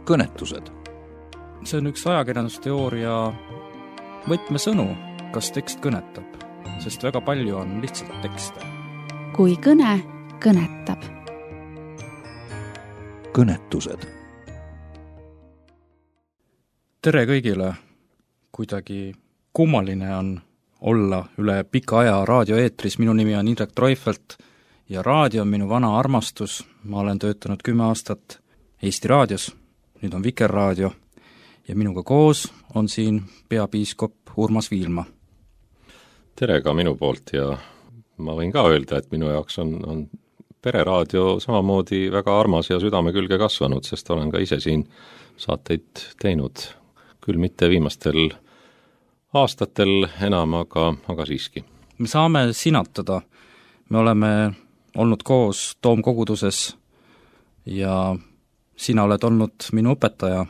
kõnetused. See on üks ajakirjandusteooria võtmesõnu, kas tekst kõnetab, sest väga palju on lihtsalt tekste. Kui kõne kõnetab. Kõnetused. Tere kõigile! Kuidagi kummaline on olla üle pika aja raadioeetris. Minu nimi on Indrek Treufelt ja raadio on minu vana armastus. Ma olen töötanud 10 aastat Eesti raadios, nüüd on Vikerraadio ja minuga koos on siin peapiiskop Urmas Viilma. Tere ka minu poolt ja ma võin ka öelda, et minu jaoks on pereraadio samamoodi väga armas ja südame külge kasvanud, sest olen ka ise siin saateid teinud, küll mitte viimastel aastatel enam, aga siiski. Me saame sinatada. Me oleme olnud koos Toomkoguduses ja sina oled olnud minu õpetaja,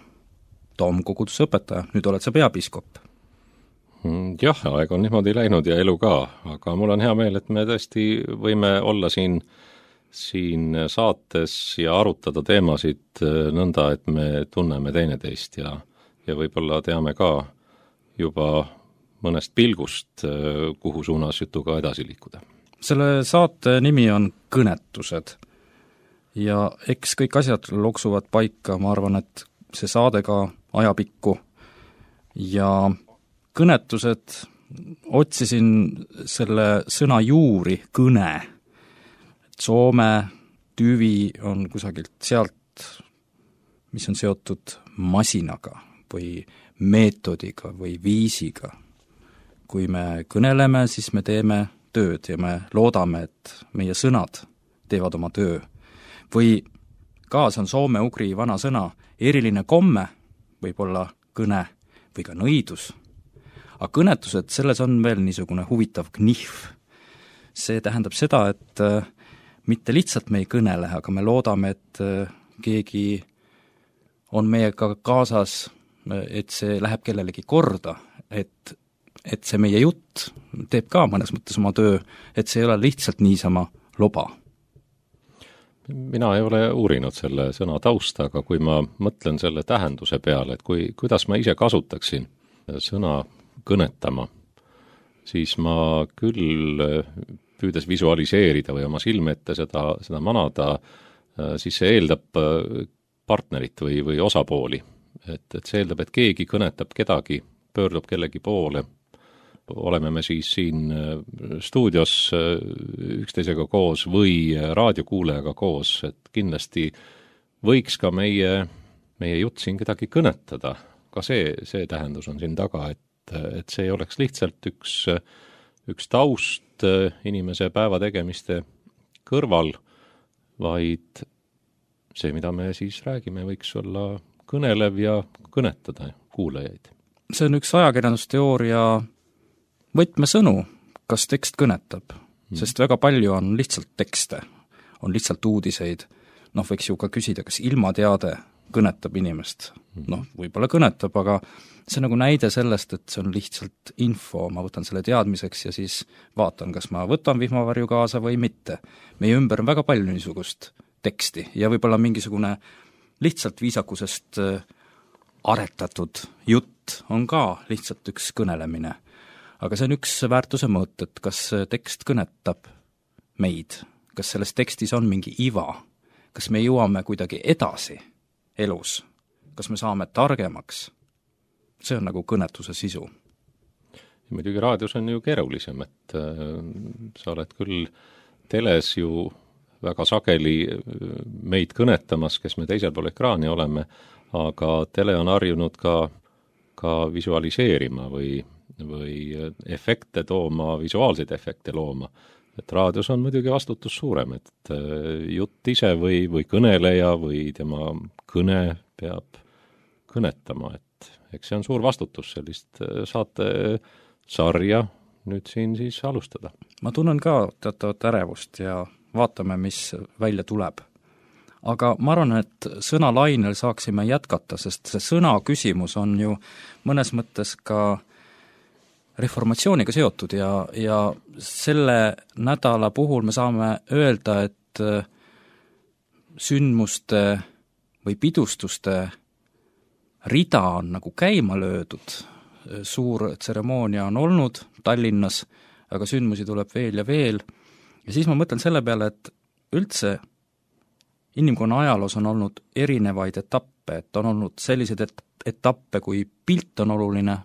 Toomkoguduse õpetaja, nüüd oled sa peapiiskop. Jah, aeg on niimoodi läinud ja elu ka, aga mul on hea meel, et me tõesti võime olla siin saates ja arutada teemasid nõnda, et me tunneme teineteist ja võib-olla teame ka juba mõnest pilgust, kuhu suunas jutuga edasi liikuda. Selle saate nimi on Kõnetused ja eks kõik asjad loksuvad paika, ma arvan, et see saade ka ajapikku ja kõnetused, otsisin selle sõna juuri, kõne. Soome tüvi on kusagilt sealt, mis on seotud masinaga või meetodiga või viisiga. Kui me kõneleme, siis me teeme tööd ja me loodame, et meie sõnad teevad oma töö. Või ka see on soome-ugri vana sõna, eriline komme, võib-olla kõne või ka nõidus. Aga kõnetused, selles on veel niisugune huvitav knihv. See tähendab seda, et mitte lihtsalt me ei kõnele, aga me loodame, et keegi on meiega kaasas, et see läheb kellelegi korda, et see meie jutt teeb ka mõnes mõttes oma töö, et see ei ole lihtsalt niisama loba. Mina ei ole uurinud selle sõna tausta, aga kui ma mõtlen selle tähenduse peale, et kuidas ma ise kasutaksin sõna kõnetama, siis ma küll püüdes visualiseerida või oma silme ette seda manada, siis see eeldab partnerit või osapooli. Et see eeldab, et keegi kõnetab kedagi, pöördub kellegi poole, oleme me siis siin stuudios üksteisega koos või raadiokuulajaga koos, et kindlasti võiks ka meie jutt siin kedagi kõnetada. Ka see tähendus on siin taga, et see ei oleks lihtsalt üks taust inimese päevategemiste kõrval, vaid see, mida me siis räägime, võiks olla kõnelev ja kõnetada kuulajaid. See on üks ajakirjandusteooria võtmesõnu, kas tekst kõnetab, sest väga palju on lihtsalt tekste, on lihtsalt uudiseid. Võiks ju ka küsida, kas ilmateade kõnetab inimest. Võib-olla kõnetab, aga see on nagu näide sellest, et see on lihtsalt info, ma võtan selle teadmiseks ja siis vaatan, kas ma võtan vihmavarju kaasa või mitte. Meie ümber on väga palju niisugust teksti ja võib-olla mingisugune lihtsalt viisakusest aretatud jutt on ka lihtsalt üks kõnelemine. Aga see on üks väärtuse mõõt, et kas tekst kõnetab meid, kas selles tekstis on mingi iva, kas me jõuame kuidagi edasi elus, kas me saame targemaks. See on nagu kõnetuse sisu. Muidugi raadios on ju keerulisem, et sa oled küll teles ju väga sageli meid kõnetamas, kes me teisel pool ekraani oleme, aga tele on harjunud ka visualiseerima või efekte tooma, visuaalseid efekte looma. Et raadios on muidugi vastutus suurem, et jutt ise või kõneleja või tema kõne peab kõnetama, et eks see on suur vastutus sellist saate sarja nüüd siin siis alustada. Ma tunnen ka teatavat ärevust ja vaatame, mis välja tuleb. Aga ma arvan, et sõnalainel saaksime jätkata, sest see sõna küsimus on ju mõnes mõttes ka reformatsiooniga seotud ja selle nädala puhul me saame öelda, et sündmuste või pidustuste rida on nagu käima löödud, suur tseremoonia on olnud Tallinnas, aga sündmusi tuleb veel ja veel, ja siis ma mõtlen selle peale, et üldse inimkonna ajaloos on olnud erinevaid etappe, et on olnud selliseid etappe, kui pilt on oluline,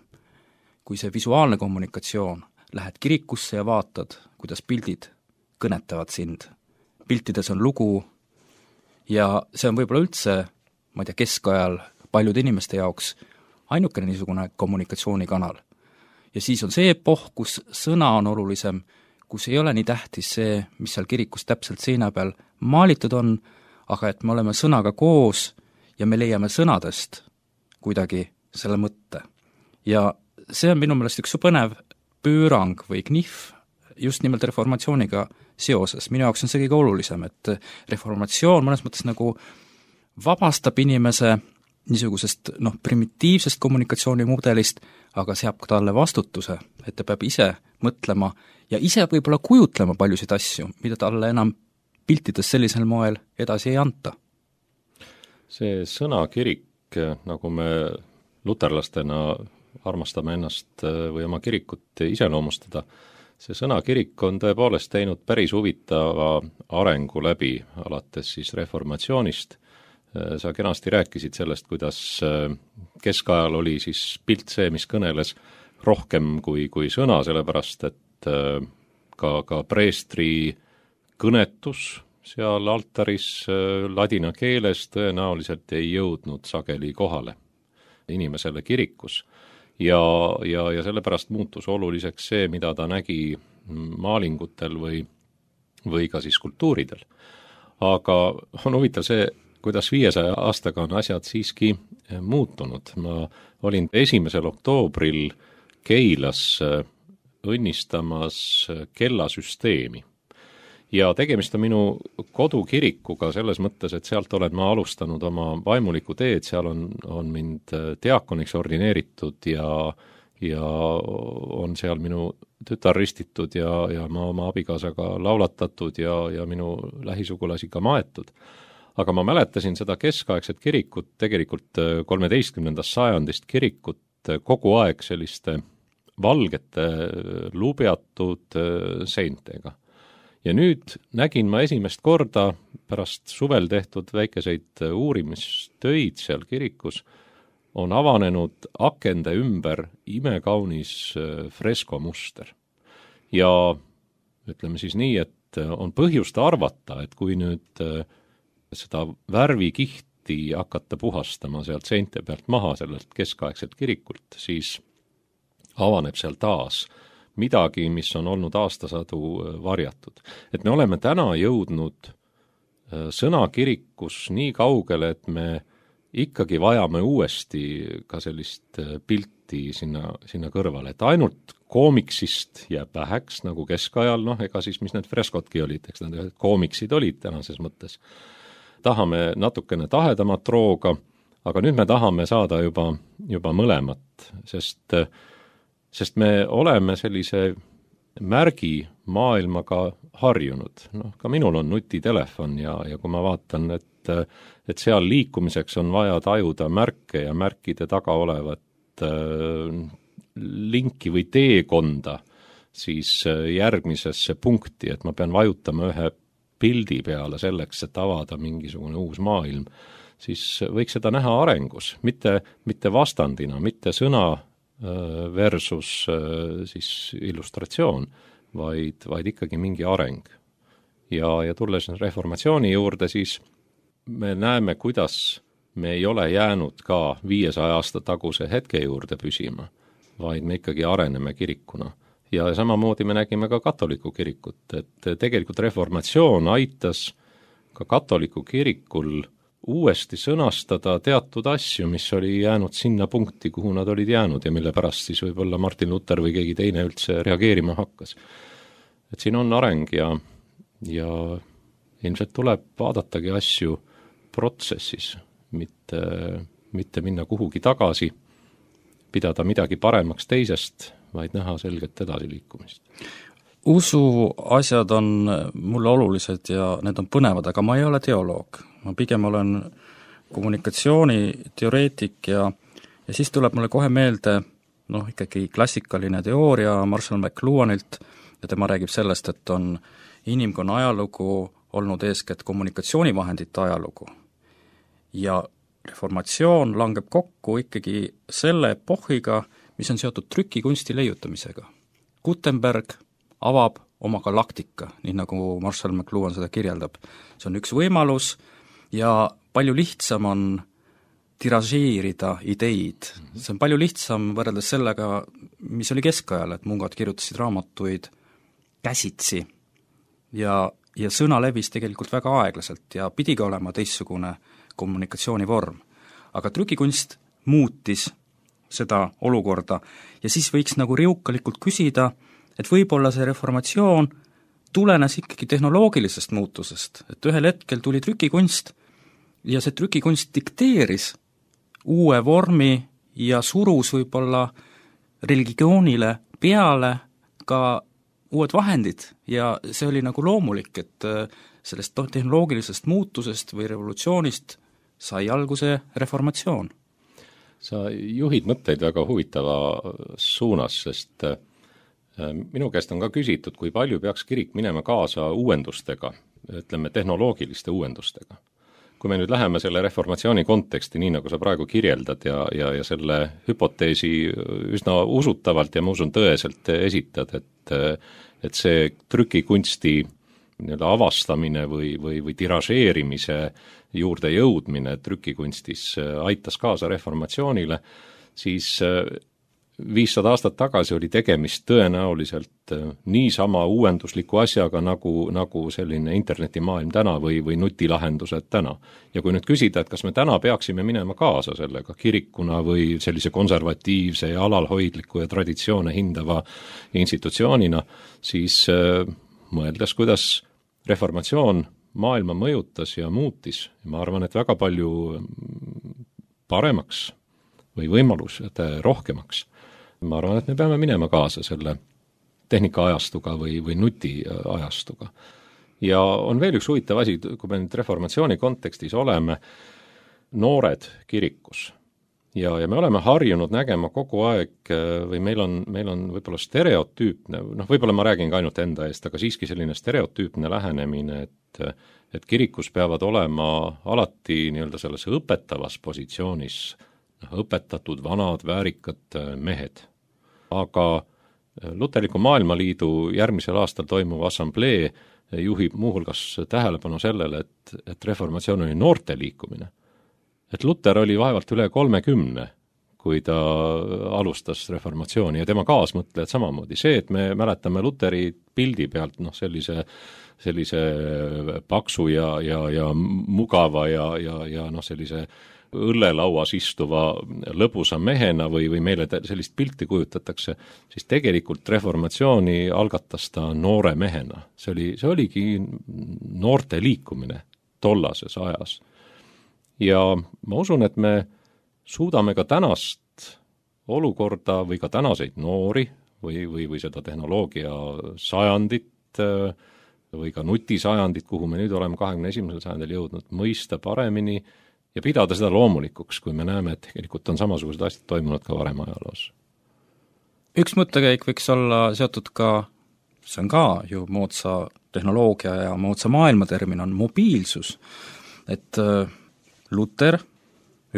kui see visuaalne kommunikatsioon, lähed kirikusse ja vaatad, kuidas pildid kõnetavad sind. Piltides on lugu ja see on võib-olla üldse, ma ei tea, keskajal paljude inimeste jaoks ainukene niisugune kommunikatsioonikanal. Ja siis on see epohh, kus sõna on olulisem, kus ei ole nii tähtis see, mis seal kirikus täpselt seina peal maalitud on, aga et me oleme sõnaga koos ja me leiame sõnadest kuidagi selle mõtte. Ja see on minu meelest üks põnev pöörang või knihv just nimelt reformatsiooniga seoses. Minu jaoks on see kõige olulisem, et reformatsioon mõnes mõttes nagu vabastab inimese niisugusest primitiivsest kommunikatsioonimudelist, aga seab ka talle vastutuse, et ta peab ise mõtlema ja ise võib-olla kujutlema paljusid asju, mida talle enam piltides sellisel moel edasi ei anta. See sõnakirik, nagu me luterlastena armastame ennast või oma kirikut iseloomustada, see sõnakirik on tõepoolest teinud päris huvitava arengu läbi, alates siis reformatsioonist. Sa kenasti rääkisid sellest, kuidas keskajal oli siis pilt see, mis kõneles rohkem kui sõna, sellepärast et ka preestri kõnetus seal altaris ladina keeles tõenäoliselt ei jõudnud sageli kohale inimesele kirikus. Ja sellepärast muutus oluliseks see, mida ta nägi maalingutel või ka siis skulptuuridel. Aga on huvitav see, kuidas 500 aastaga on asjad siiski muutunud. Ma olin 1. oktoobril Keilas õnnistamas kellasüsteemi. Ja tegemist on minu kodukirikuga selles mõttes, et sealt olen ma alustanud oma vaimulikku teed, seal on mind diakoniks ordineeritud ja on seal minu tütar ristitud ja ma oma abikaasaga laulatatud ja minu lähisugulasi ka maetud. Aga ma mäletasin seda keskaegset kirikut, tegelikult 13. sajandist kirikut kogu aeg selliste valgete lubjatud seintega. Ja nüüd nägin ma esimest korda pärast suvel tehtud väikeseid uurimistöid seal kirikus, on avanenud akende ümber imekaunis freskomuster. Ja ütleme siis nii, et on põhjust arvata, et kui nüüd seda värvikihti hakata puhastama sealt seinte pealt maha sellelt keskaegselt kirikult, siis avaneb seal taas midagi, mis on olnud aastasadu varjatud. Et me oleme täna jõudnud sõnakirikus nii kaugele, et me ikkagi vajame uuesti ka sellist pilti sinna kõrvale, et ainult koomiksist jääb väheks, nagu keskajal, ega siis mis need freskotki olid, eks need koomiksid olid tänases mõttes. Tahame natukene tahedamat rooga, aga nüüd me tahame saada juba mõlemat, sest me oleme sellise märgi maailmaga harjunud. Ka minul on nutitelefon ja kui ma vaatan, et seal liikumiseks on vaja tajuda märke ja märkide taga olevat linki või teekonda, siis järgmisesse punkti, et ma pean vajutama ühe pildi peale selleks, et avada mingisugune uus maailm, siis võiks seda näha arengus, mitte vastandina, mitte sõna versus siis illustratsioon, vaid ikkagi mingi areng. Ja tulles reformatsiooni juurde, siis me näeme, kuidas me ei ole jäänud ka 500 aasta taguse hetke juurde püsima, vaid me ikkagi areneme kirikuna. Ja samamoodi me nägime ka katoliku kirikut, et tegelikult reformatsioon aitas ka katoliku kirikul uuesti sõnastada teatud asju, mis oli jäänud sinna punkti, kuhu nad olid jäänud ja mille pärast siis võib-olla Martin Luther või keegi teine üldse reageerima hakkas. Et siin on areng ja ilmselt tuleb vaadatagi asju protsessis, mitte minna kuhugi tagasi, pidada midagi paremaks teisest, vaid näha selget edasiliikumist. Usu asjad on mulle olulised ja need on põnevad, aga ma ei ole teoloog. Ma pigem olen kommunikatsiooniteoreetik ja Ja siis tuleb mulle kohe meelde ikkagi klassikaline teooria Marshall McLuhanilt ja tema räägib sellest, et on inimkonna ajalugu olnud eeskätt kommunikatsioonivahendite ajalugu. Ja reformatsioon langeb kokku ikkagi selle epohhiga, mis on seotud trükikunsti leiutamisega. Gutenberg avab oma galaktika, nii nagu Marshall McLuhan seda kirjeldab. See on üks võimalus ja palju lihtsam on tiražeerida ideid. See on palju lihtsam võrreldes sellega, mis oli keskajal, et mungad kirjutasid raamatuid käsitsi ja sõna levis tegelikult väga aeglaselt ja pidigi olema teistsugune kommunikatsioonivorm. Aga trükikunst muutis seda olukorda ja siis võiks nagu riukalikult küsida, et võib-olla see reformatsioon tulenes ikkagi tehnoloogilisest muutusest, et ühel hetkel tuli trükikunst ja see trükikunst dikteeris uue vormi ja surus võib-olla religioonile peale ka uued vahendid ja see oli nagu loomulik, et sellest tehnoloogilisest muutusest või revolutsioonist sai alguse reformatsioon. Sa juhid mõtteid väga huvitava suunas, sest minu käest on ka küsitud, kui palju peaks kirik minema kaasa uuendustega, ütleme tehnoloogiliste uuendustega. Kui me nüüd läheme selle reformatsiooni konteksti, nii nagu sa praegu kirjeldad ja selle hüpoteesi üsna usutavalt ja ma usun tõeselt esitad, et see trükikunsti avastamine või tiražeerimise juurde jõudmine trükikunstis aitas kaasa reformatsioonile, siis 500 aastat tagasi oli tegemist tõenäoliselt niisama uuendusliku asjaga nagu selline internetimaailm täna või nutilahendused täna. Ja kui nüüd küsida, et kas me täna peaksime minema kaasa sellega kirikuna või sellise konservatiivse ja alalhoidliku ja traditsioone hindava institutsioonina, siis mõeldes, kuidas reformatsioon maailma mõjutas ja muutis, ma arvan, et väga palju paremaks või võimalused rohkemaks. Ma arvan, et me peame minema kaasa selle tehnikaajastuga või nutiajastuga. Ja on veel üks huvitav asi, kui me nüüd reformatsiooni kontekstis oleme, noored kirikus. Ja me oleme harjunud nägema kogu aeg või meil on võib-olla stereotüüpne, võib-olla ma räägin ka ainult enda eest, aga siiski selline stereotüüpne lähenemine, et kirikus peavad olema alati nii-öelda selles õpetavas positsioonis õpetatud vanad väärikad mehed. Aga Luterliku Maailmaliidu järgmisel aastal toimuv assamblee juhib muuhulgas tähelepanu sellele, et reformatsioon oli noorte liikumine. Et Luter oli vaevalt üle 30, kui ta alustas reformatsiooni ja tema kaasmõtlejad samamoodi. See, et me mäletame Luteri pildi pealt sellise paksu ja mugava ja sellise õllelauas istuva lõbusa mehena või meile sellist pilti kujutatakse, siis tegelikult reformatsiooni algatas ta noore mehena. See oligi noorte liikumine tollases ajas. Ja ma usun, et me suudame ka tänast olukorda või ka tänaseid noori või seda tehnoloogia sajandit või ka nutisajandit, kuhu me nüüd oleme 21. sajandil jõudnud, mõista paremini ja pidada seda loomulikuks, kui me näeme, et tegelikult on samasugused asjad toimunud ka varem ajaloos. Üks mõttekäik võiks olla seotud ka, see on ka ju moodsa tehnoloogia ja moodsa maailma termin, on mobiilsus. Et Luter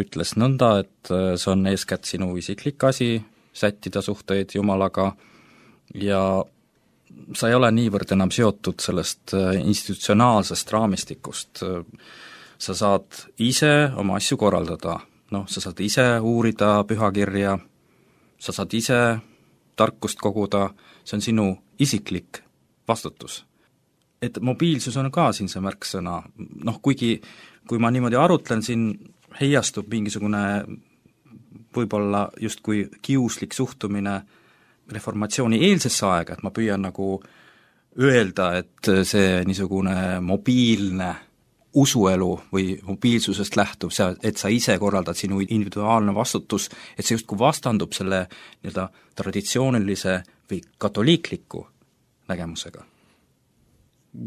ütles nõnda, et see on eeskätt sinu isiklik asi, sättida suhteid Jumalaga ja sa ei ole niivõrd enam seotud sellest institutsionaalsest raamistikust. Sa saad ise oma asju korraldada, sa saad ise uurida pühakirja, sa saad ise tarkust koguda, see on sinu isiklik vastutus. Et mobiilsus on ka siin see märksõna, kuigi kui ma niimoodi arutlen, siin heiastub mingisugune võib-olla justkui kiuslik suhtumine reformatsiooni eelsesse aega, et ma püüan nagu öelda, et see niisugune mobiilne usuelu või mobiilsusest lähtub, et sa ise korraldad sinu individuaalne vastutus, et see justkui vastandub selle nii-öelda traditsioonilise või katoliikliku nägemusega.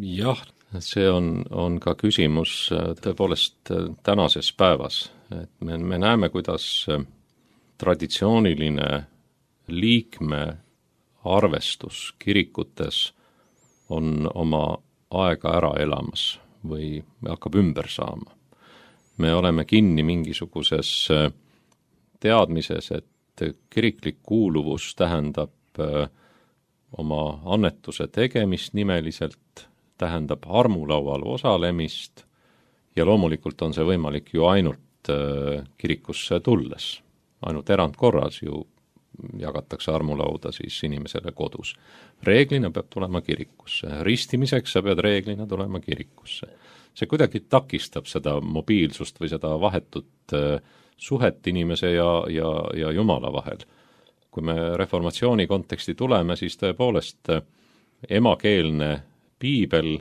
Jah, see on ka küsimus tõepoolest tänases päevas. Et me näeme, kuidas traditsiooniline liikme arvestus kirikutes on oma aega ära elamas või hakkab ümber saama. Me oleme kinni mingisuguses teadmises, et kiriklik kuuluvus tähendab oma annetuse tegemist nimeliselt, tähendab armulaual osalemist ja loomulikult on see võimalik ju ainult kirikusse tulles. Ainult erandkorras ju jagatakse armulauda siis inimesele kodus. Reeglina peab tulema kirikusse. Ristimiseks sa pead reeglina tulema kirikusse. See kuidagi takistab seda mobiilsust või seda vahetut suhet inimese ja Jumala vahel. Kui me reformatsiooni konteksti tuleme, siis tõepoolest emakeelne piibel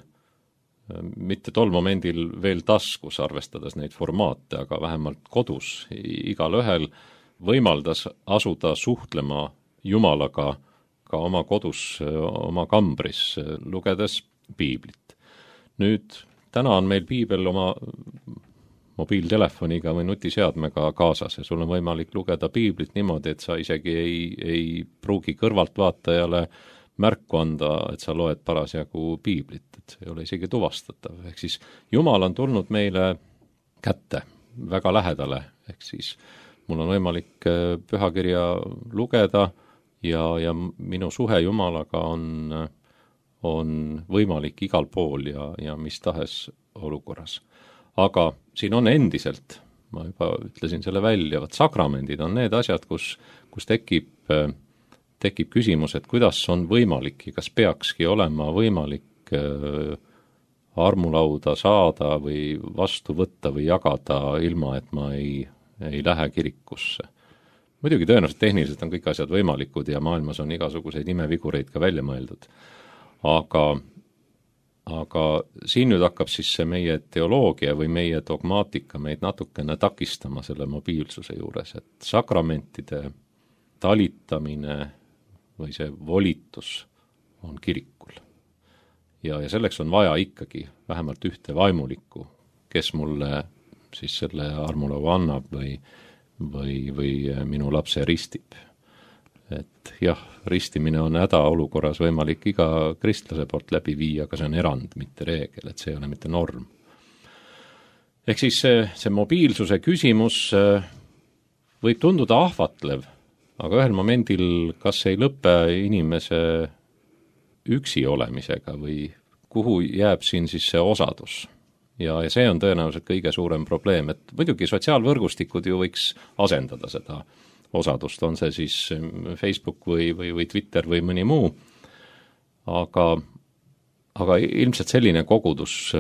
mitte tol momendil veel taskus, arvestades neid formaate, aga vähemalt kodus igal ühel võimaldas asuda suhtlema Jumalaga ka oma kodus, oma kambris, lugedes piiblit. Nüüd, täna on meil piibel oma mobiiltelefoniga või nutiseadmega kaasas ja sul on võimalik lugeda piiblit niimoodi, et sa isegi ei pruugi kõrvaltvaatajale märku anda, et sa loed parasjagu piiblit, et see ei ole isegi tuvastatav. Ehk siis Jumal on tulnud meile kätte väga lähedale, ehk siis mul on võimalik pühakirja lugeda ja minu suhe Jumalaga on võimalik igal pool ja mis tahes olukorras. Aga siin on endiselt, ma juba ütlesin selle välja, sakramendid on need asjad, kus tekib küsimus, et kuidas on võimalik ja kas peakski olema võimalik armulauda saada või vastu võtta või jagada ilma, et ma ei lähe kirikusse. Muidugi tõenäoliselt tehniliselt on kõik asjad võimalikud ja maailmas on igasuguseid imevigureid ka välja mõeldud. Aga siin nüüd hakkab siis see meie teoloogia või meie dogmaatika meid natukene takistama selle mobiilsuse juures, et sakramentide talitamine või see volitus on kirikul. Ja selleks on vaja ikkagi vähemalt ühte vaimulikku, kes mulle siis selle armulaua annab või minu lapse ristib. Et jah, ristimine on hädaolukorras võimalik iga kristlase poolt läbi viia, aga see on erand, mitte reegel, et see ei ole mitte norm. Ehk siis see mobiilsuse küsimus võib tunduda ahvatlev, aga ühel momendil kas ei lõpe inimese üksi olemisega või kuhu jääb siin siis see osadus. Ja see on tõenäoliselt kõige suurem probleem, et muidugi sotsiaalvõrgustikud ju võiks asendada seda osadust, on see siis Facebook või Twitter või mõni muu, aga ilmselt selline kogudus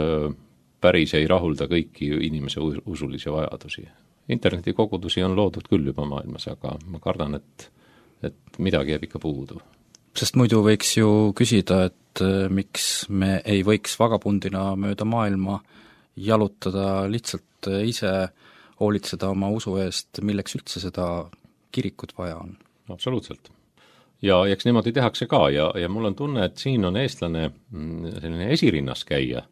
päris ei rahulda kõiki inimese usulisi vajadusi. Internetikogudusi on loodud küll juba maailmas, aga ma kardan, et midagi jääb ikka puudu. Sest muidu võiks ju küsida, et miks me ei võiks vagabundina mööda maailma jalutada, lihtsalt ise hoolitseda oma usu eest, milleks üldse seda kirikut vaja on. Absoluutselt. Ja eks niimoodi tehakse ka ja mul on tunne, et siin on eestlane selline esirinnas käia,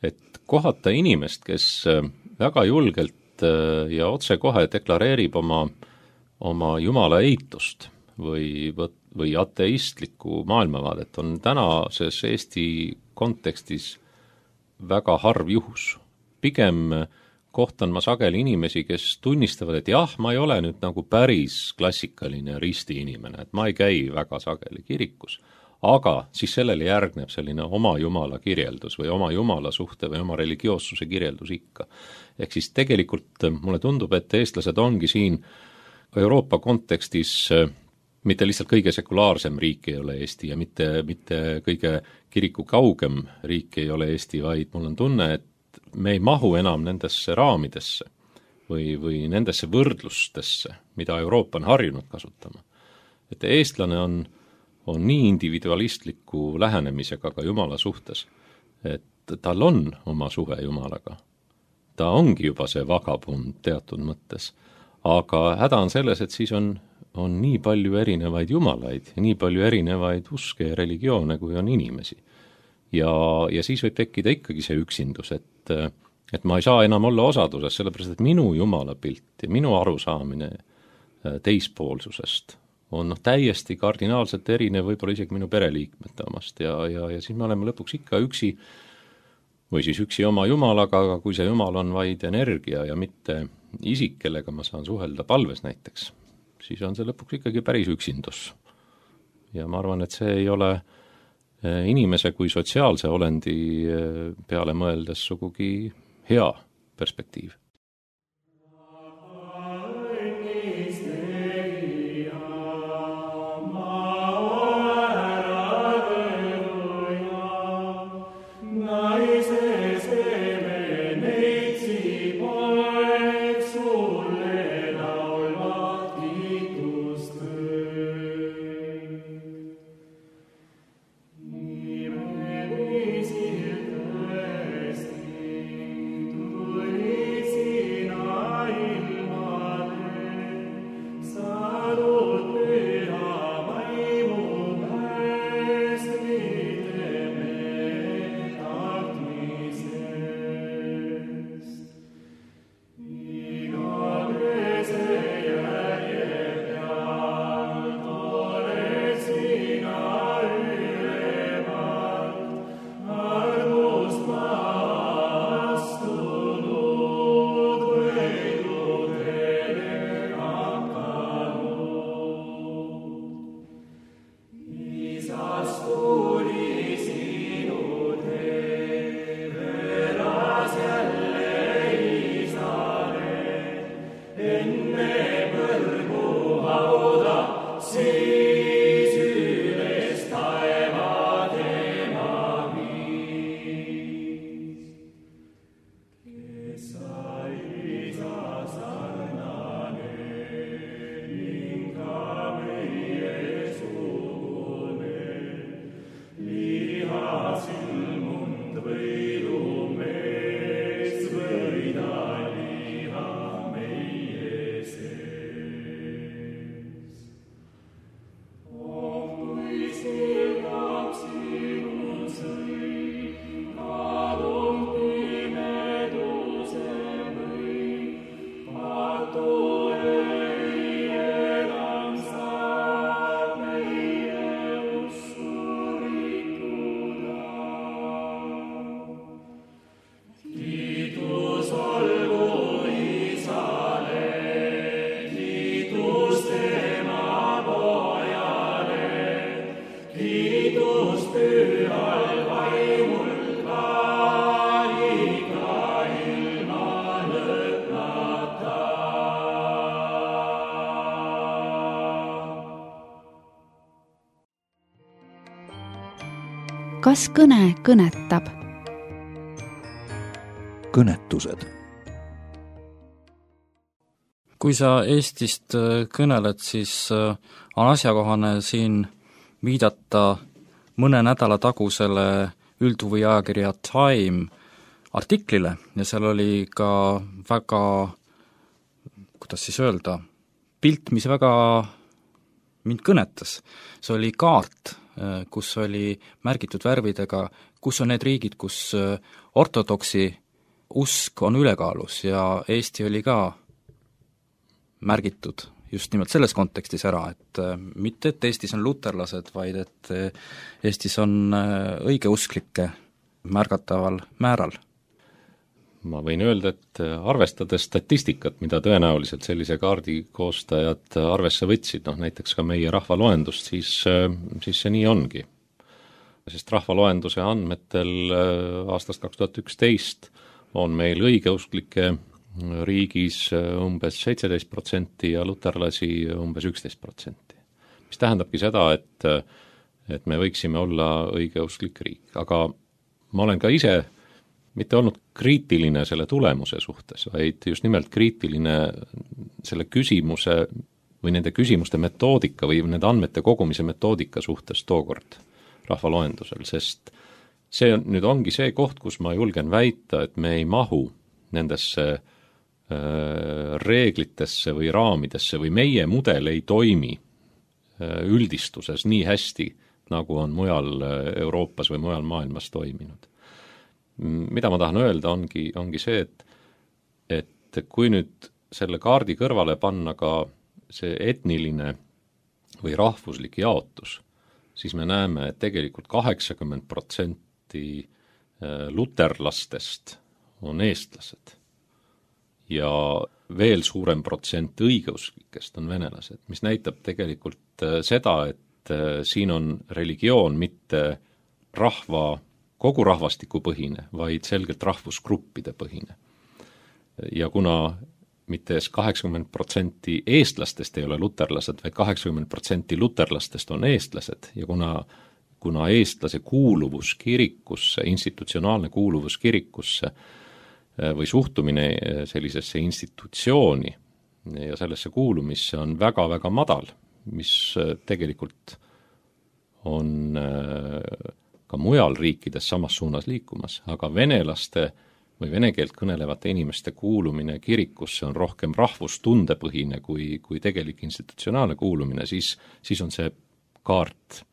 et kohata inimest, kes väga julgelt ja otsekohe deklareerib oma Jumala eitust või ateistlikku maailmavaadet, on tänases Eesti kontekstis väga harv juhus. Pigem kohtan ma sageli inimesi, kes tunnistavad, et jah, ma ei ole nüüd nagu päris klassikaline risti inimene, et ma ei käi väga sageli kirikus, aga siis sellele järgneb selline oma Jumala kirjeldus või oma Jumala suhte või oma religioossuse kirjeldus ikka. Ehk siis tegelikult mulle tundub, et eestlased ongi siin Euroopa kontekstis mitte lihtsalt kõige sekulaarsem riik ei ole Eesti ja mitte kõige kiriku kaugem riik ei ole Eesti, vaid mul on tunne, et me ei mahu enam nendesse raamidesse või nendesse võrdlustesse, mida Euroopa on harjunud kasutama. Et eestlane on nii individualistliku lähenemisega ka Jumala suhtes, et tal on oma suhe Jumalaga. Ta ongi juba see vagabund teatud mõttes, aga häda on selles, et siis on nii palju erinevaid jumalaid ja nii palju erinevaid uske ja religioone, kui on inimesi. Ja siis võib tekkida ikkagi see üksindus, et ma ei saa enam olla osaduses, sellepärast et minu Jumala pilt ja minu arusaamine teispoolsusest on täiesti kardinaalselt erinev võib-olla isegi minu pereliikmete omast ja siis me oleme lõpuks ikka üksi või siis üksi oma jumalaga, aga kui see jumal on vaid energia ja mitte isik, kellega ma saan suhelda palves näiteks, siis on see lõpuks ikkagi päris üksindus. Ja ma arvan, et see ei ole inimese kui sotsiaalse olendi peale mõeldes sugugi hea perspektiiv. Kas kõne kõnetab? Kõnetused. Kui sa Eestist kõneled, siis on asjakohane siin viidata mõne nädala tagusele üldhuviajakirja Time artiklile ja seal oli ka väga, kuidas siis öelda, pilt, mis väga mind kõnetas. See oli kaart, kus oli märgitud värvidega, kus on need riigid, kus ortodoksi usk on ülekaalus ja Eesti oli ka märgitud just nimelt selles kontekstis ära, et mitte, et Eestis on luterlased, vaid et Eestis on õigeusklikke märgataval määral. Ma võin öelda, et arvestades statistikat, mida tõenäoliselt sellise kaardi koostajad arvesse võtsid, näiteks ka meie rahvaloendust, siis see nii ongi. Sest rahvaloenduse andmetel aastast 2011 on meil õigeusklike riigis umbes 17% ja luterlasi umbes 11%. Mis tähendabki seda, et me võiksime olla õigeusklik riik, aga ma olen ka ise mitte olnud kriitiline selle tulemuse suhtes, vaid just nimelt kriitiline selle küsimuse või nende küsimuste metoodika või nende andmete kogumise metoodika suhtes tookord rahvaloendusel, sest see nüüd ongi see koht, kus ma julgen väita, et me ei mahu nendesse reeglitesse või raamidesse või meie mudel ei toimi üldistuses nii hästi, nagu on mujal Euroopas või mujal maailmas toiminud. Mida ma tahan öelda, ongi see, et kui nüüd selle kaardi kõrvale panna ka see etniline või rahvuslik jaotus, siis me näeme, et tegelikult 80% luterlastest on eestlased ja veel suurem protsent õigeusklikest on venelased, mis näitab tegelikult seda, et siin on religioon mitte kogu rahvastiku põhine, vaid selgelt rahvusgruppide põhine. Ja kuna mitte 80% eestlastest ei ole luterlased, vaid 80% luterlastest on eestlased ja kuna eestlase kuuluvus kirikusse, institutsionaalne kuuluvus kirikusse või suhtumine sellisesse institutsiooni ja sellesse kuulumisse on väga-väga madal, mis tegelikult on ka mujal riikides samas suunas liikumas, aga venelaste või vene keelt kõnelevate inimeste kuulumine kirikusse on rohkem rahvustundepõhine kui tegelik institutsionaalne kuulumine, siis on see kaart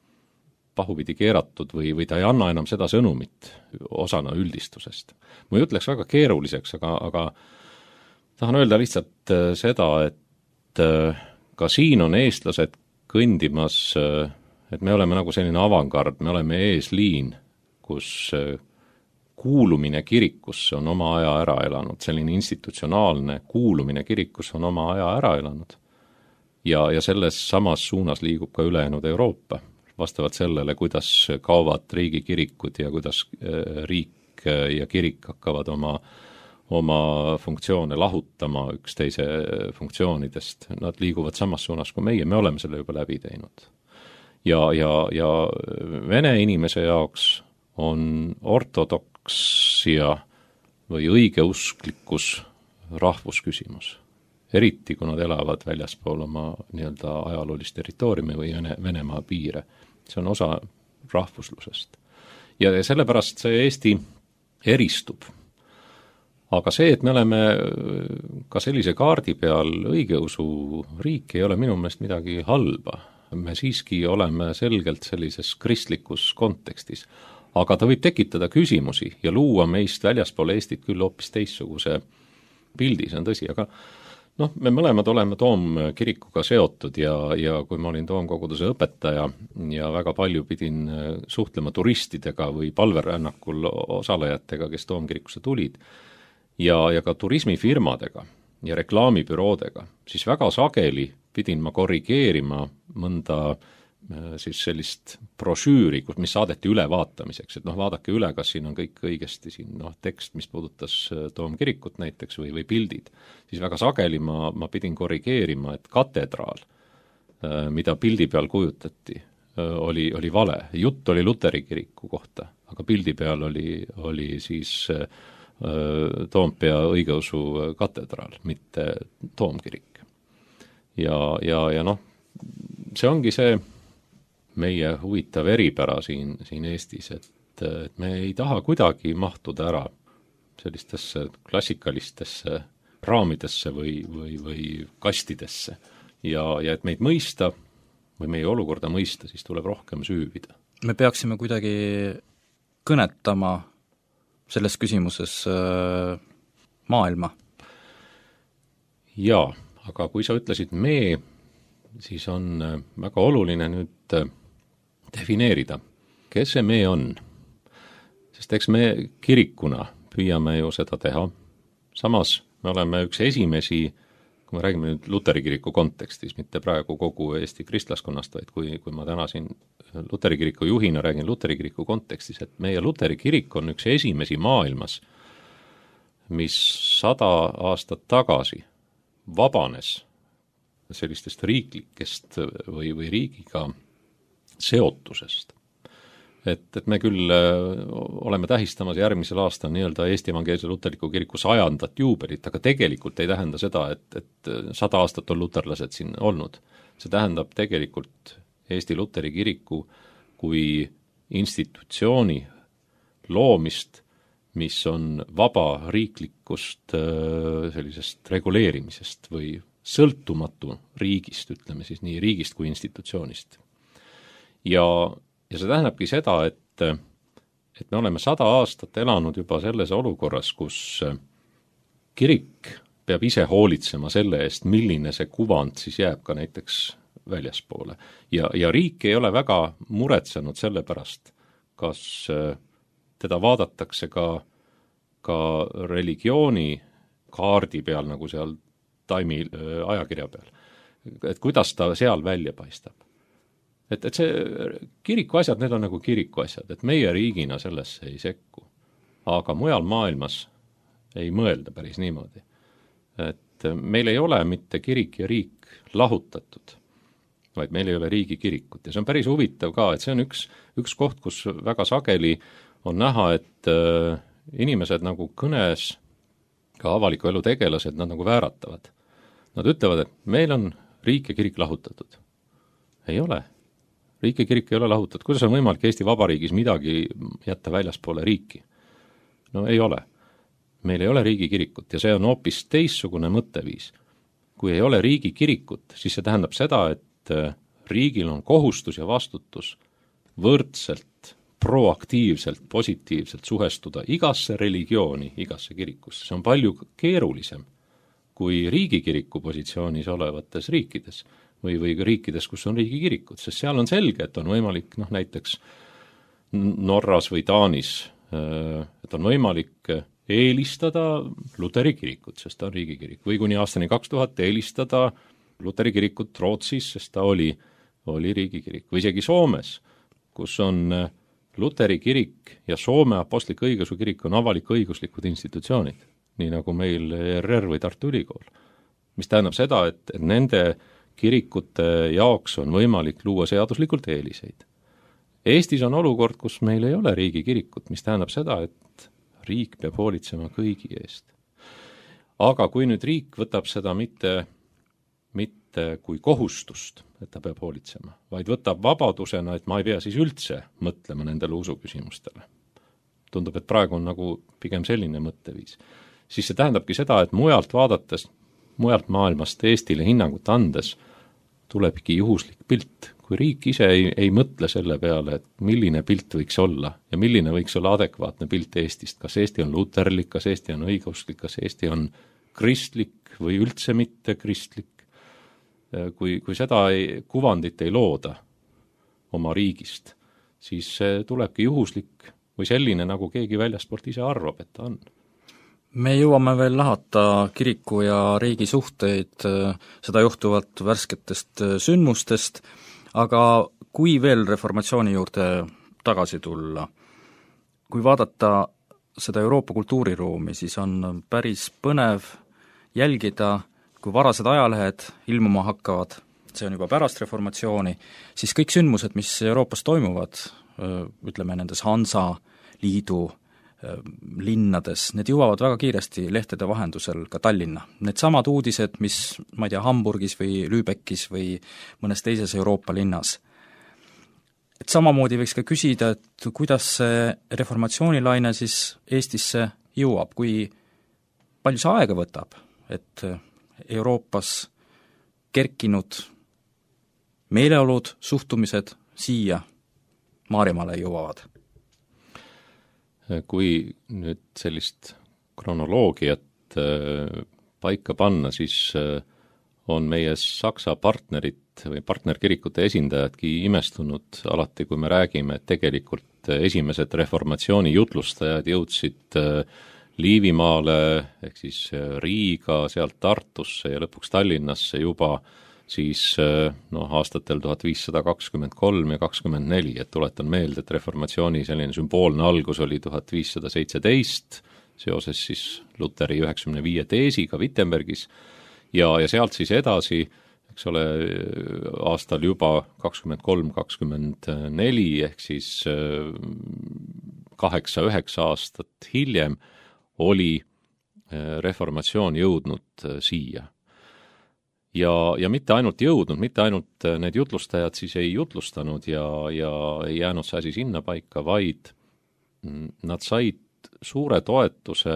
pahupidi keeratud või ta ei anna enam seda sõnumit osana üldistusest. Mu jutt läks väga keeruliseks, aga tahan öelda lihtsalt seda, et ka siin on eestlased kõndimas, et me oleme nagu selline avangard, me oleme eesliin, kus kuulumine kirikusse on oma aja ära elanud, selline institutsionaalne kuulumine kirikusse on oma aja ära elanud. Ja selles samas suunas liigub ka ülejäänud Euroopa, vastavalt sellele, kuidas kaovad riigikirikud ja kuidas riik ja kirik hakkavad oma funktsioone lahutama üksteise funktsioonidest. Nad liiguvad samas suunas kui meie, me oleme selle juba läbi teinud. Ja vene inimese jaoks on ortodoksia või õigeusklikkus rahvusküsimus. Eriti, kui nad elavad väljaspool oma nii-öelda ajaloolist territooriumi või Venemaa piire. See on osa rahvuslusest. Ja sellepärast see Eesti eristub. Aga see, et me oleme ka sellise kaardi peal õigeusu riik, ei ole minu meelest midagi halba. Me siiski oleme selgelt sellises kristlikus kontekstis. Aga ta võib tekitada küsimusi ja luua meist väljaspool Eestit küll hoopis teistsuguse pildi, see on tõsi, aga me mõlemad oleme Toomkirikuga seotud ja kui ma olin Toomkoguduse õpetaja ja väga palju pidin suhtlema turistidega või palverännakul osalejatega, kes Toomkirikusse tulid, ja ka turismifirmadega ja reklaamibüroodega, siis väga sageli pidin ma korrigeerima mõnda siis sellist brošüüri, mis saadeti ülevaatamiseks, et vaadake üle, kas siin on kõik õigesti, siin tekst, mis puudutas Toomkirikut näiteks või pildid, siis väga sageli ma pidin korrigeerima, et katedraal, mida pildi peal kujutati, oli vale. Jutt oli Luteri kiriku kohta, aga pildi peal oli siis Toompea õigeusu katedraal, mitte Toomkirik. Ja see ongi see meie huvitav eripära siin Eestis, et me ei taha kuidagi mahtuda ära sellistesse klassikalistesse raamidesse või kastidesse. Ja et meid mõista või meie olukorda mõista, siis tuleb rohkem süüvida. Me peaksime kuidagi kõnetama selles küsimuses maailma. Jaa, aga kui sa ütlesid me, siis on väga oluline nüüd defineerida, kes see me on. Sest eks me kirikuna püüame ju seda teha. Samas me oleme üks esimesi, kui me räägime nüüd Luteri kiriku kontekstis, mitte praegu kogu Eesti kristlaskonnast, vaid kui ma täna siin Luteri kiriku juhina räägin Luteri kiriku kontekstis, et meie Luteri kirik on üks esimesi maailmas, mis 100 aastat tagasi vabanes sellistest riiklikest või riigiga seotusest. Et me küll oleme tähistamas järgmisel aastal nii-öelda Eesti Evangeelse Luterliku kiriku 100. juubelit, aga tegelikult ei tähenda seda, et 100 aastat on luterlased siin olnud. See tähendab tegelikult Eesti Luteri kiriku kui institutsiooni loomist, mis on vaba riiklikust sellisest reguleerimisest või sõltumatu riigist, ütleme siis nii riigist kui institutsioonist. Ja see tähendabki seda, et me oleme 100 aastat elanud juba selles olukorras, kus kirik peab ise hoolitsema selle eest, milline see kuvand siis jääb ka näiteks väljaspoole. Ja riik ei ole väga muretsenud selle pärast, kas teda vaadatakse ka religiooni kaardi peal, nagu seal Taimi ajakirja peal. Et kuidas ta seal välja paistab. Et see kiriku asjad, need on nagu kiriku asjad, et meie riigina sellesse ei sekku. Aga mujal maailmas ei mõelda päris niimoodi. Et meil ei ole mitte kirik ja riik lahutatud, vaid meil ei ole riigi kirikut. Ja see on päris huvitav ka, et see on üks koht, kus väga sageli on näha, et inimesed nagu kõnes, ka avaliku elu tegelased, nad nagu vääratavad. Nad ütlevad, et meil on riik ja kirik lahutatud. Ei ole. Riik ja kirik ei ole lahutatud. Kuidas on võimalik Eesti Vabariigis midagi jätta väljaspoole riiki? No ei ole. Meil ei ole riigi kirikut ja see on hoopis teissugune mõtteviis. Kui ei ole riigi kirikut, siis see tähendab seda, et riigil on kohustus ja vastutus võrdselt, proaktiivselt, positiivselt suhestuda igasse religiooni, igasse kirikusse. See on palju keerulisem kui riigikiriku positsioonis olevates riikides või riikides, kus on riigikirikud, sest seal on selge, et on võimalik näiteks Norras või Taanis, et on võimalik eelistada Luteri kirikut, sest ta on riigikirik, või kuni aastani 2000 eelistada Luteri kirikut Rootsis, sest ta oli riigikirik, või isegi Soomes, kus on Luteri kirik ja Soome Apostlik-Õigeusu kirik on avalik-õiguslikud institutsioonid, nii nagu meil ERR või Tartu Ülikool, mis tähendab seda, et nende kirikute jaoks on võimalik luua seaduslikult eeliseid. Eestis on olukord, kus meil ei ole riigikirikut, mis tähendab seda, et riik peab hoolitsema kõigi eest. Aga kui nüüd riik võtab seda mitte kui kohustust, et ta peab hoolitsema, vaid võtab vabadusena, et ma ei pea siis üldse mõtlema nendele usuküsimustele. Tundub, et praegu on nagu pigem selline mõtteviis. Siis see tähendabki seda, et mujalt vaadates, mujalt maailmast Eestile hinnangut andes tulebki juhuslik pilt. Kui riik ise ei mõtle selle peale, et milline pilt võiks olla ja milline võiks olla adekvaatne pilt Eestist, kas Eesti on luterlik, kas Eesti on õigeusklik, kas Eesti on kristlik või üldse mitte kristlik, kui seda kuvandit ei looda oma riigist, siis tulebki juhuslik või selline, nagu keegi väljaspoolt ise arvab, et ta on. Me jõuame veel lahata kiriku ja riigi suhteid, seda juhtuvalt värsketest sündmustest, aga kui veel reformatsiooni juurde tagasi tulla, kui vaadata seda Euroopa kultuuriruumi, siis on päris põnev jälgida, kui varased ajalehed ilmuma hakkavad, see on juba pärast reformatsiooni, siis kõik sündmused, mis Euroopas toimuvad, ütleme nendes Hansa liidu linnades, need jõuavad väga kiiresti lehtede vahendusel ka Tallinna. Need samad uudised, mis, ma ei tea, Hamburgis või Lübeckis või mõnes teises Euroopa linnas. Et samamoodi võiks ka küsida, et kuidas see reformatsioonilaine siis Eestisse jõuab, kui palju see aega võtab, et Euroopas kerkinud meeleolud, suhtumised siia Maarjamaale jõuavad. Kui nüüd sellist kronoloogiat paika panna, siis on meie Saksa partnerid või partnerkirikute esindajadki imestunud alati, kui me räägime, et tegelikult esimesed reformatsiooni jutlustajad jõudsid Liivimaale ehk siis Riiga, sealt Tartusse ja lõpuks Tallinnasse juba siis aastatel 1523 ja 24, et tuletan meelde, et reformatsiooni selline sümboolne algus oli 1517 seoses siis Luteri 95 teesiga Wittenbergis ja sealt siis edasi, eks ole, aastal juba 23-24 ehk siis 8-9 aastat hiljem oli reformatsioon jõudnud siia. Ja mitte ainult jõudnud, mitte ainult need jutlustajad siis ei jutlustanud ja ei jäänud see asi sinna paika, vaid nad said suure toetuse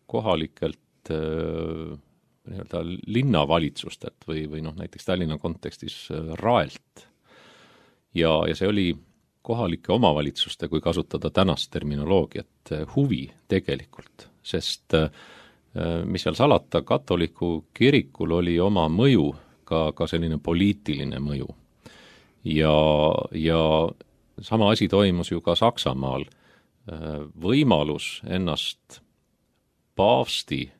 kohalikelt nii-öelda linnavalitsustelt või näiteks Tallinna kontekstis Raelt. Ja see oli kohalike omavalitsuste, kui kasutada tänast terminoloogiat, huvi tegelikult, sest mis seal salata, katoliku kirikul oli oma mõju, ka selline poliitiline mõju. Ja sama asi toimus ju ka Saksamaal. Võimalus ennast paavsti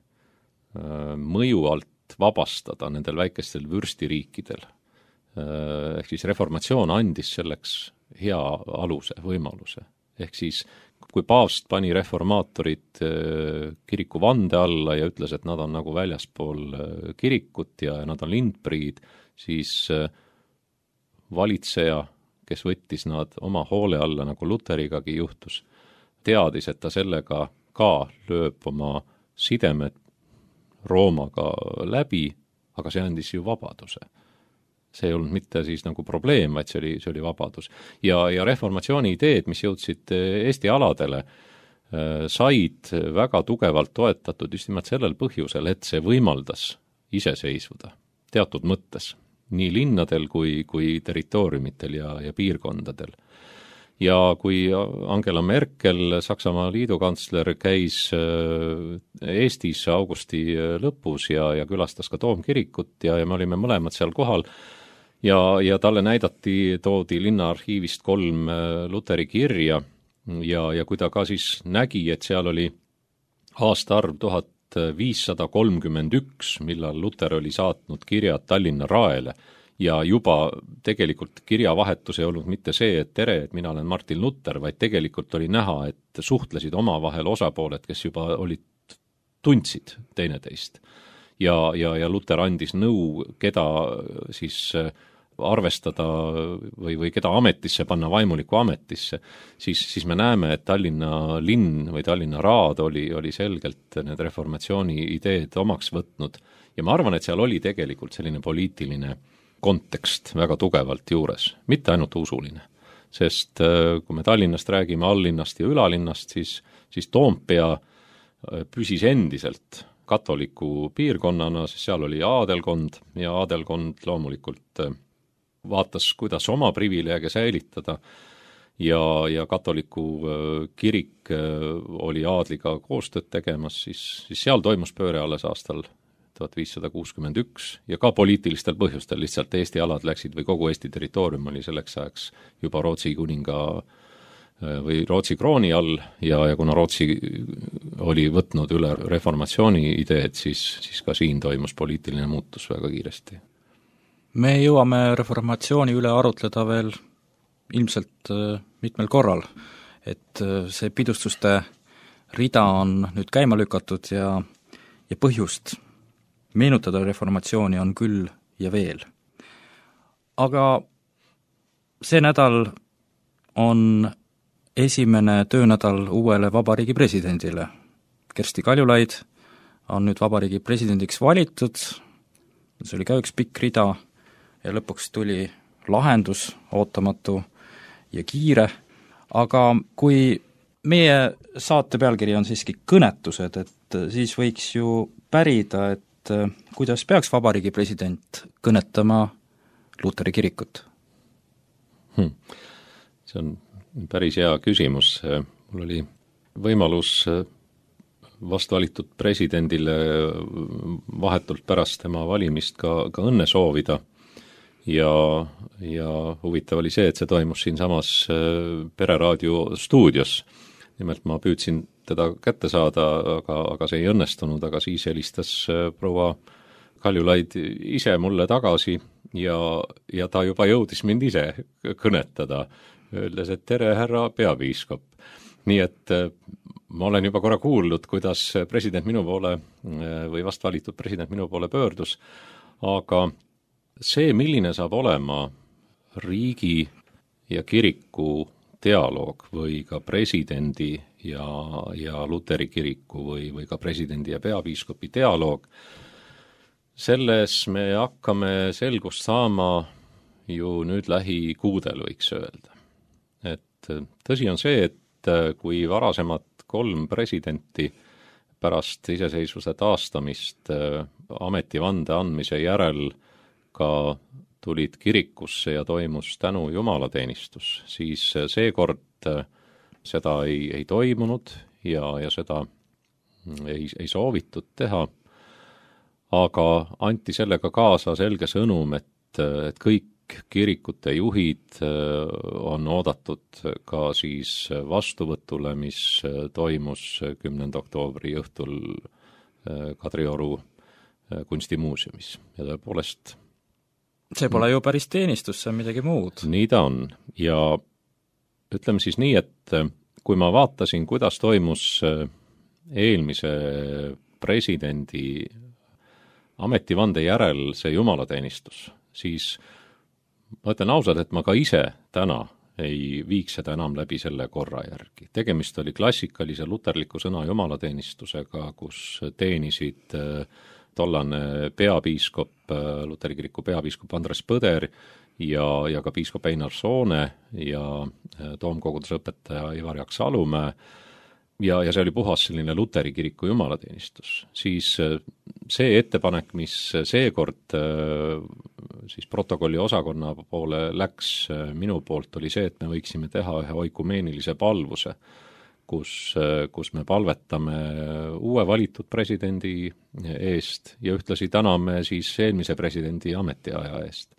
mõju alt vabastada nendel väikestel vürstiriikidel. Ehk siis reformatsioon andis selleks hea aluse, võimaluse. Ehk siis kui paavst pani reformaatorid kiriku vande alla ja ütles, et nad on nagu väljaspool kirikut ja nad on lindpriid, siis valitseja, kes võttis nad oma hoole alla, nagu Luterigagi juhtus, teadis, et ta sellega ka lööb oma sidemed Roomaga läbi, aga see andis ju vabaduse. See ei olnud mitte siis nagu probleem, vaid see oli vabadus. Ja reformatsiooni ideed, mis jõudsid Eesti aladele, said väga tugevalt toetatud just nimelt sellel põhjusel, et see võimaldas iseseisvuda teatud mõttes, nii linnadel kui territooriumitel ja piirkondadel. Ja kui Angela Merkel, Saksamaa liidukantsler, käis Eestis augusti lõpus ja külastas ka Toomkirikut ja me olime mõlemad seal kohal, ja talle toodi linnaarhiivist 3 Luteri kirja ja kui ta ka siis nägi, et seal oli aastaarv 1531, millal Luter oli saatnud kirjad Tallinna Raele ja juba tegelikult kirjavahetus ei olnud mitte see, et tere, et mina olen Martin Luther, vaid tegelikult oli näha, et suhtlesid omavahel osapooled, kes juba tundsid teineteist. Ja Luter andis nõu, keda siis arvestada või keda ametisse panna, vaimuliku ametisse, siis me näeme, et Tallinna linn või Tallinna raad oli selgelt need reformatsiooni ideed omaks võtnud ja ma arvan, et seal oli tegelikult selline poliitiline kontekst väga tugevalt juures, mitte ainult usuline. Sest kui me Tallinnast räägime allinnast ja ülalinnast, siis Toompea püsis endiselt katoliku piirkonnana, sest seal oli aadelkond ja aadelkond loomulikult vaatas, kuidas oma privileege säilitada ja katoliku kirik oli aadliga koostööd tegemas, siis seal toimus pööre alles aastal 1561 ja ka poliitilistel põhjustel lihtsalt Eesti alad läksid või kogu Eesti territoorium oli selleks ajaks juba Rootsi kuninga või Rootsi krooni all ja kuna Rootsi oli võtnud üle reformatsiooni ideed, siis ka siin toimus poliitiline muutus väga kiiresti. Me jõuame reformatsiooni üle arutleda veel ilmselt mitmel korral, et see pidustuste rida on nüüd käima lükatud ja põhjust meenutada reformatsiooni on küll ja veel. Aga see nädal on esimene töönädal uuele vabariigi presidendile. Kersti Kaljulaid on nüüd vabariigi presidendiks valitud, see oli ka üks pikk rida ja lõpuks tuli lahendus, ootamatu ja kiire, aga kui meie saate pealkiri on siiski kõnetused, et siis võiks ju pärida, et kuidas peaks vabariigi president kõnetama Luteri kirikut? See on päris hea küsimus. Mul oli võimalus vast valitud presidendile vahetult pärast tema valimist ka õnne soovida ja huvitav oli see, et see toimus siinsamas Pereraadio stuudios. Nimelt ma püüdsin teda kätte saada, aga see ei õnnestunud, aga siis helistas proua Kaljulaid ise mulle tagasi ja ta juba jõudis mind ise kõnetada, öeldes, et tere, härra peapiiskop. Nii et ma olen juba korra kuulnud, kuidas president minu poole või vast valitud president minu poole pöördus, aga see, milline saab olema riigi ja kiriku dialoog või ka presidendi ja Luteri kiriku või ka presidendi ja peapiiskopi dialoog, selles me hakkame selgust saama ju nüüd lähikuudel, võiks öelda. Et tõsi on see, et kui varasemad 3 presidenti pärast iseseisvuse taastamist ametivande andmise järel ka tulid kirikusse ja toimus tänu jumalateenistus, siis seekord seda ei toimunud ja seda ei soovitud teha, aga anti sellega kaasa selge sõnum, et kõik kirikute juhid on oodatud ka siis vastuvõtule, mis toimus 10. oktoobri õhtul Kadrioru kunstimuuseumis. Ja tõepoolest see pole ju päris teenistus, see on midagi muud. Nii ta on. Ja ütleme siis nii, et kui ma vaatasin, kuidas toimus eelmise presidendi ametivande järel see jumalateenistus, siis ma ütlen ausalt, et ma ka ise täna ei viiks seda enam läbi selle korra järgi. Tegemist oli klassikalise luterliku sõna jumalateenistusega, kus teenisid tollane peapiiskop, Luteri kiriku peapiiskop Andres Põder ja ka piiskop Einar Soone ja toomkoguduse õpetaja Ivar Jaks Alumäe. Ja see oli puhas selline Luteri kiriku jumalateenistus. Siis see ettepanek, mis seekord siis protokolli osakonna poole läks minu poolt, oli see, et me võiksime teha ühe oikumeenilise palvuse, kus me palvetame uue valitud presidendi eest ja ühtlasi täname siis eelmise presidendi ametiaja eest.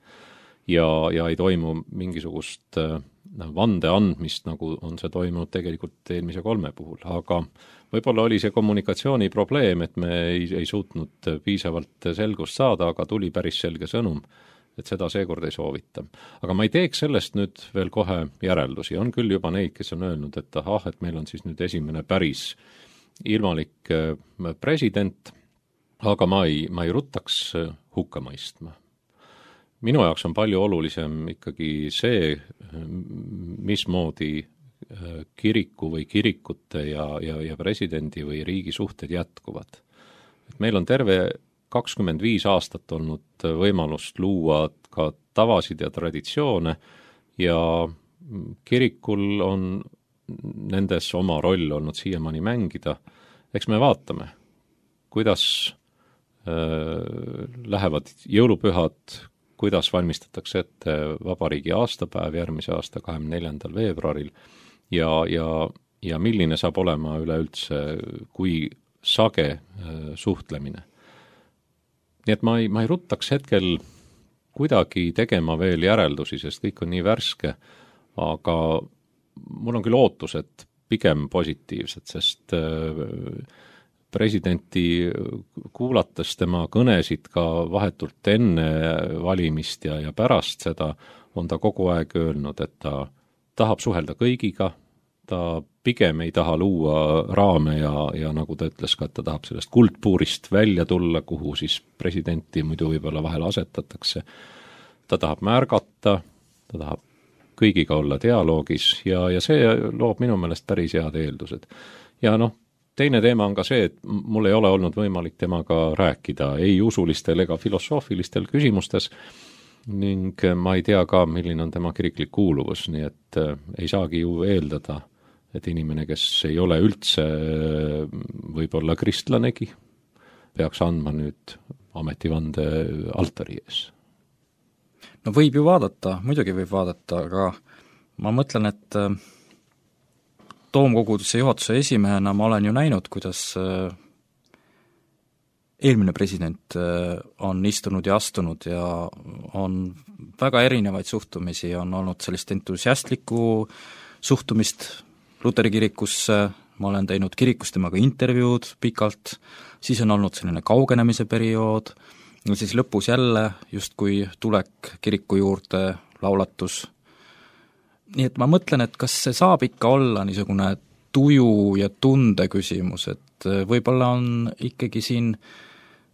Ja ei toimu mingisugust vande andmist, nagu on see toimunud tegelikult eelmise 3 puhul, aga võib-olla oli see kommunikatsiooni probleem, et me ei suutnud piisavalt selgust saada, aga tuli päris selge sõnum, et seda seekord ei soovita. Aga ma ei teeks sellest nüüd veel kohe järeldusi. On küll juba neid, kes on öelnud, et et meil on siis nüüd esimene päris ilmalik president, aga ma ei ruttaks hukka mõistma. Minu jaoks on palju olulisem ikkagi see, mismoodi kiriku või kirikute ja presidendi või riigi suhted jätkuvad. Meil on terve 25 aastat olnud võimalust luua ka tavasid ja traditsioone ja kirikul on nendes oma roll olnud siiamaani mängida. Eks me vaatame, kuidas lähevad jõulupühad, kuidas valmistatakse ette vabariigi aastapäev järgmise aasta 24. veebruaril ja milline saab olema üleüldse, kui sage suhtlemine. Nii et ma ei ruttaks hetkel kuidagi tegema veel järeldusi, sest kõik on nii värske, aga mul on küll ootused pigem positiivsed, sest presidenti kuulates tema kõnesid ka vahetult enne valimist ja pärast seda on ta kogu aeg öelnud, et ta tahab suhelda kõigiga, ta pigem ei taha luua raame ja nagu ta ütles ka, et ta tahab sellest kuldpuurist välja tulla, kuhu siis presidenti muidu võib-olla vahel asetatakse. Ta tahab märgata, ta tahab kõigiga olla dialoogis ja see loob minu meelest päris head eeldused. Ja teine teema on ka see, et mul ei ole olnud võimalik temaga rääkida ei usulistel ega filosoofilistel küsimustes ning ma ei tea ka, milline on tema kiriklik kuuluvus, nii et ei saagi ju eeldada, et inimene, kes ei ole üldse võib-olla kristlanegi, peaks andma nüüd ametivande altari ees. No võib ju vaadata, muidugi võib vaadata, aga ma mõtlen, et toomkoguduse juhatuse esimehena ma olen ju näinud, kuidas eelmine president on istunud ja astunud ja on väga erinevaid suhtumisi, on olnud sellist entusiastlikku suhtumist Luteri kirikusse, ma olen teinud kirikus temaga intervjuud pikalt, siis on olnud selline kaugenemise periood, ja siis lõpus jälle justkui tulek kiriku juurde, laulatus. Nii et ma mõtlen, et kas see saab ikka olla niisugune tuju ja tunde küsimus, et võib-olla on ikkagi siin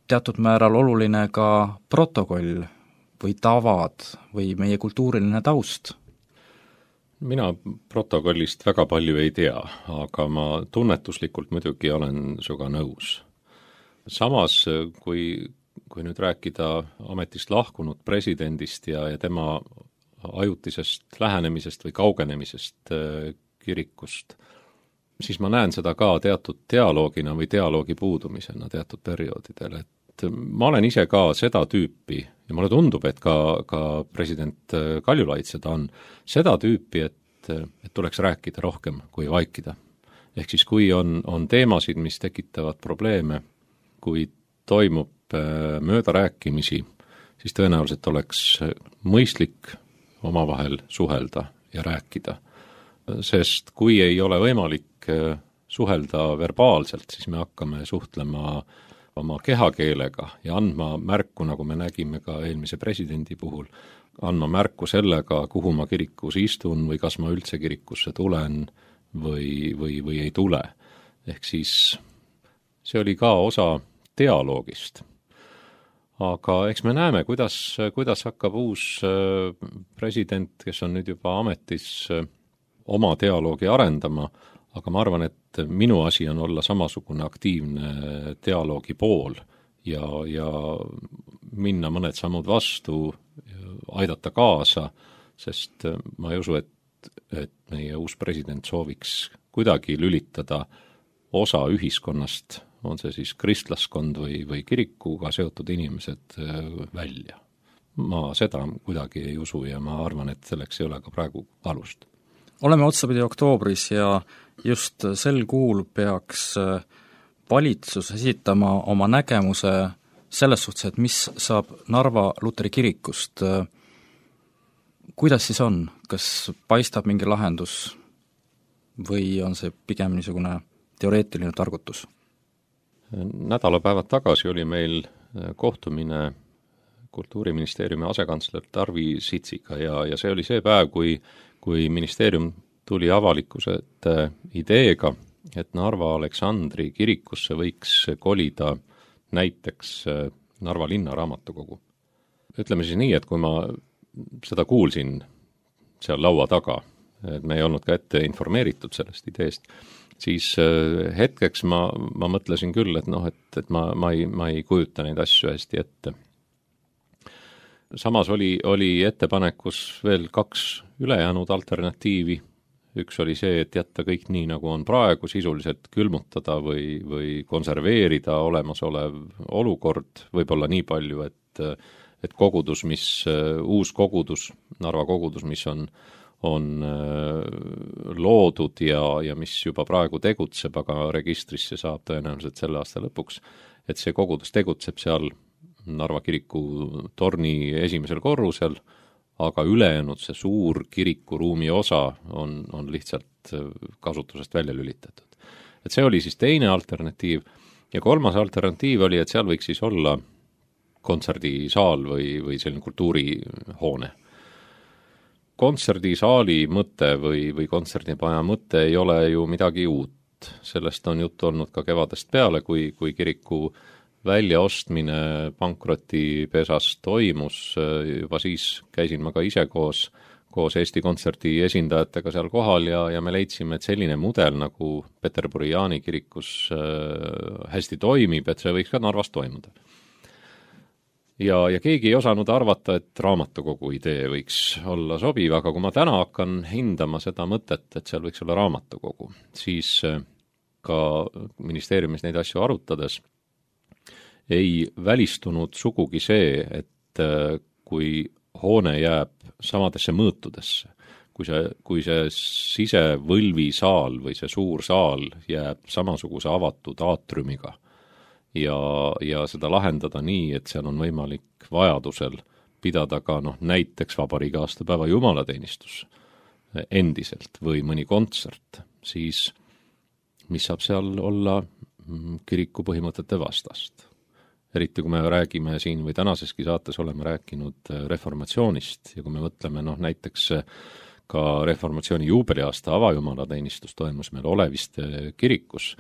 teatud määral oluline ka protokoll või tavad või meie kultuuriline taust. Mina protokollist väga palju ei tea, aga ma tunnetuslikult muidugi olen sinuga nõus. Samas, kui nüüd rääkida ametist lahkunud presidendist ja tema ajutisest lähenemisest või kaugenemisest kirikust, siis ma näen seda ka teatud dialoogina või dialoogi puudumisena teatud perioodidel, et ma olen ise ka seda tüüpi ja mulle tundub, et ka president Kaljulaid seda on, seda tüüpi, et tuleks rääkida rohkem kui vaikida. ehk siis kui on teemasid, mis tekitavad probleeme, kui toimub möödarääkimisi, siis tõenäoliselt oleks mõistlik omavahel suhelda ja rääkida. Sest kui ei ole võimalik suhelda verbaalselt, siis me hakkame suhtlema oma kehakeelega ja andma märku, nagu me nägime ka eelmise presidendi puhul, andma märku sellega, kuhu ma kirikus istun või kas ma üldse kirikusse tulen või ei tule. Ehk siis see oli ka osa dialoogist. Aga eks me näeme, kuidas hakkab uus president, kes on nüüd juba ametis, oma dialoogi arendama, aga ma arvan, et minu asi on olla samasugune aktiivne dialoogi pool ja minna mõned sammud vastu, aidata kaasa, sest ma ei usu, et meie uus president sooviks kuidagi lülitada osa ühiskonnast, on see siis kristlaskond või kirikuga seotud inimesed välja. Ma seda kuidagi ei usu ja ma arvan, et selleks ei ole ka praegu alust. Oleme otsapidi oktoobris ja just sel kuul peaks valitsus esitama oma nägemuse selles suhtes, et mis saab Narva Luteri kirikust. Kuidas siis on? Kas paistab mingi lahendus või on see pigem niisugune teoreetiline targutus? Nädalapäevad tagasi oli meil kohtumine Kultuuriministeeriumi asekantsler Tarvi Sitsiga ja see oli see päev, kui ministeerium tuli avalikkuse ideega, et Narva Aleksandri kirikusse võiks kolida näiteks Narva linna raamatukogu. Ütleme siis nii, et kui ma seda kuulsin seal laua taga, et me ei olnud ka ette informeeritud sellest ideest, siis hetkeks ma mõtlesin küll, et ma ei kujuta neid asju hästi ette. Samas oli ettepanekus veel 2 ülejäänud alternatiivi. Üks oli see, et jätta kõik nii, nagu on praegu, sisuliselt külmutada või konserveerida olemasolev olukord, võib-olla nii palju, et kogudus, uus kogudus, Narva kogudus, mis on loodud ja mis juba praegu tegutseb, aga registrisse saab tõenäoliselt selle aasta lõpuks, et see kogudus tegutseb seal Narva kiriku torni esimesel korrusel, aga ülejäänud see suur kirikuruumi osa on lihtsalt kasutusest välja lülitatud. Et see oli siis teine alternatiiv ja kolmas alternatiiv oli, et seal võiks siis olla kontserdisaal või selline kultuurihoone. Kontserdisaali mõte või kontserdipaja mõte ei ole ju midagi uut. Sellest on juttu olnud ka kevadest peale, kui kiriku väljaostmine pankrotipesas toimus, juba siis käisin ma ka ise koos Eesti Kontserdi esindajatega seal kohal ja me leidsime, et selline mudel nagu Peterburi Jaani kirikus hästi toimib, et see võiks ka Narvas toimuda. Ja keegi ei osanud arvata, et raamatukogu idee võiks olla sobiv, aga kui ma täna hakkan hindama seda mõtet, et seal võiks olla raamatukogu, siis ka ministeeriumis neid asju arutades ei välistunud sugugi see, et kui hoone jääb samadesse mõõtudesse, kui see sisevõlvisaal või see suur saal jääb samasuguse avatud aatriumiga ja seda lahendada nii, et seal on võimalik vajadusel pidada ka näiteks vabariigi aastapäeva jumalateenistus endiselt või mõni kontsert, siis mis saab seal olla kiriku põhimõtete vastast. Eriti kui me räägime siin või tänaseski saates oleme rääkinud reformatsioonist ja kui me mõtleme näiteks ka reformatsiooni juubeliaasta avajumalateenistus toimus meil Oleviste kirikus,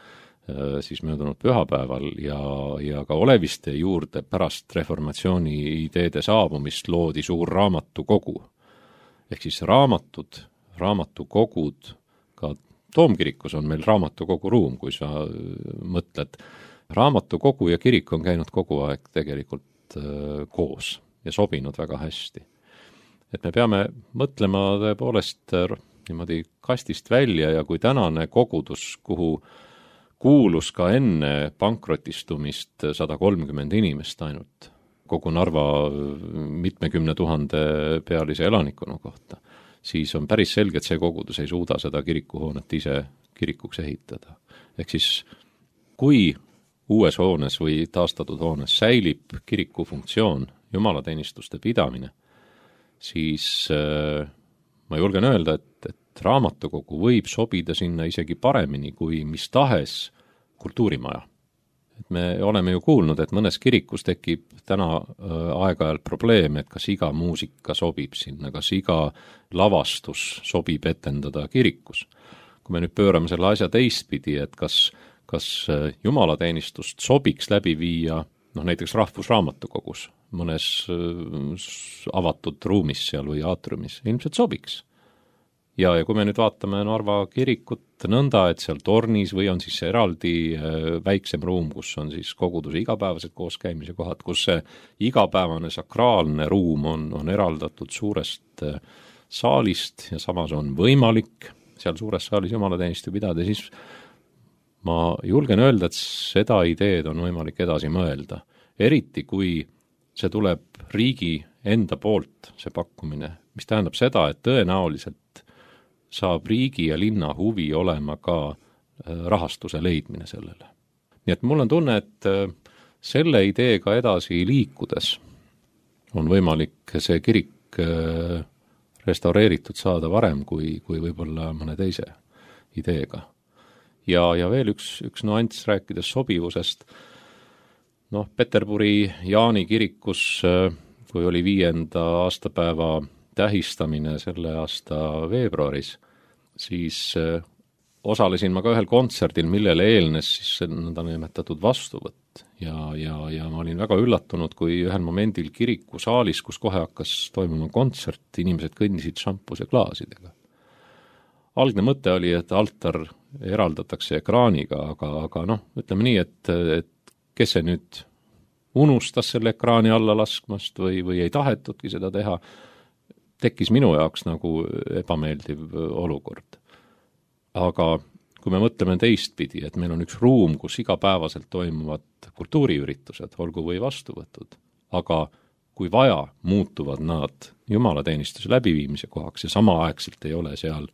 siis möödunud pühapäeval ja ka Oleviste juurde pärast reformatsiooni ideede saabumist loodi suur raamatukogu. Ehk siis raamatukogud, ka Toomkirikus on meil raamatukogu ruum, kui sa mõtled. Raamatukogu ja kirik on käinud kogu aeg tegelikult koos ja sobinud väga hästi. Et me peame mõtlema tõepoolest niimoodi kastist välja ja kui tänane kogudus, kuhu kuulus ka enne pankrotistumist 130 inimest ainult kogu Narva mitmekümne 000 pealise elanikkonna kohta, siis on päris selge, et see kogudus ei suuda seda kirikuhoonet ise kirikuks ehitada. Ehk siis, kui uues hoones või taastatud hoones säilib kiriku funktsioon, jumalateenistuste pidamine, siis ma julgen öelda, et raamatukogu võib sobida sinna isegi paremini kui mis tahes kultuurimaja. Et me oleme ju kuulnud, et mõnes kirikus tekib täna aeg-ajalt probleem, et kas iga muusika sobib sinna, kas iga lavastus sobib etendada kirikus. Kui me nüüd pöörame selle asja teistpidi, et kas jumalateenistust sobiks läbi viia näiteks Rahvusraamatukogus, mõnes avatud ruumis seal või aatriumis, ilmselt sobiks. Ja kui me nüüd vaatame Narva kirikut nõnda, et seal tornis või on siis eraldi väiksem ruum, kus on siis koguduse igapäevased kooskäimise kohad, kus see igapäevane sakraalne ruum on eraldatud suurest saalist ja samas on võimalik seal suures saalis jumalateenistu pidada, siis ma julgen öelda, et seda ideed on võimalik edasi mõelda. Eriti kui see tuleb riigi enda poolt, see pakkumine, mis tähendab seda, et tõenäoliselt saab riigi ja linna huvi olema ka rahastuse leidmine sellele. Nii et mul on tunne, et selle ideega edasi liikudes on võimalik see kirik restaureeritud saada varem kui võib-olla mõne teise ideega. Ja veel üks nuanss rääkides sobivusest. Peterburi Jaani kirikus, kui oli 5. aastapäeva tähistamine selle aasta veebruaris, siis osalesin ma ka ühel kontserdil, millele eelnes siis nõndanimetatud vastuvõtt. Ja ma olin väga üllatunud, kui ühel momendil kirikusaalis, kus kohe hakkas toimuma kontsert, inimesed kõndisid šampuse klaasidega. Algne mõte oli, et altar eraldatakse ekraaniga, aga ütleme nii, et kes see nüüd unustas selle ekraani alla laskmast või ei tahetudki seda teha, tekkis minu jaoks nagu ebameeldiv olukord. Aga kui me mõtleme teistpidi, et meil on üks ruum, kus igapäevaselt toimuvad kultuuriüritused, olgu või vastuvõtud, aga kui vaja, muutuvad nad jumalateenistuse läbiviimise kohaks ja samaaegselt ei ole seal